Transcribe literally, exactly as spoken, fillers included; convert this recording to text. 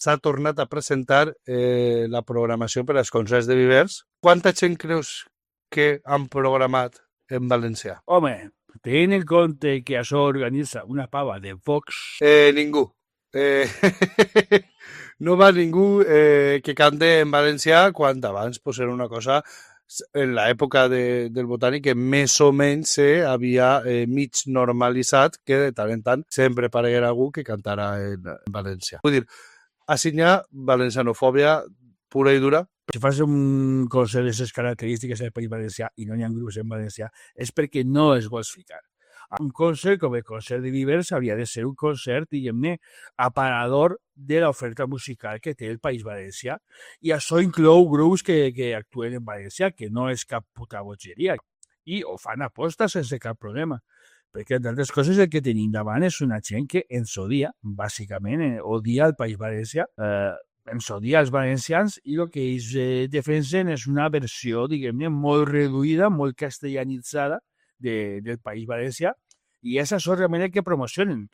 s'ha tornat a presentar eh, la programació per als concerts de Vivers. Quanta gent creus que han programat en valencià? Home, tenint en compte que això organitza una pava de Vox... Eh, ningú. Eh, no va ningú eh, que cante en valencià, quan abans pues, era una cosa en l'època de, del Botànic que més o menys se havia eh, mig normalitzat que de tant en tant sempre apareguera algú que cantara en, en valencià. Vull dir, així hi ha valencianofòbia pura i dura. Si fas un concert d'aquestes característiques del País Valencià i no hi ha grups en valencià és perquè no es vols ficar. Un concert com el concert de Vivers hauria de ser un concert, diguem-ne, aparador de l'oferta musical que té el País Valencià. I això inclou grups que, que actuen en valencià, que no és cap puta bogeria. I ho fan aposta sense cap problema. Perquè, entre altres coses, el que tenim davant és una gent que ens odia, bàsicament, eh, odia el País Valencià, eh, ens odia els valencians i el que ells eh, defensen és una versió, diguem-ne, molt reduïda, molt castellanitzada de, del País Valencià, i és això realment el que promocionen.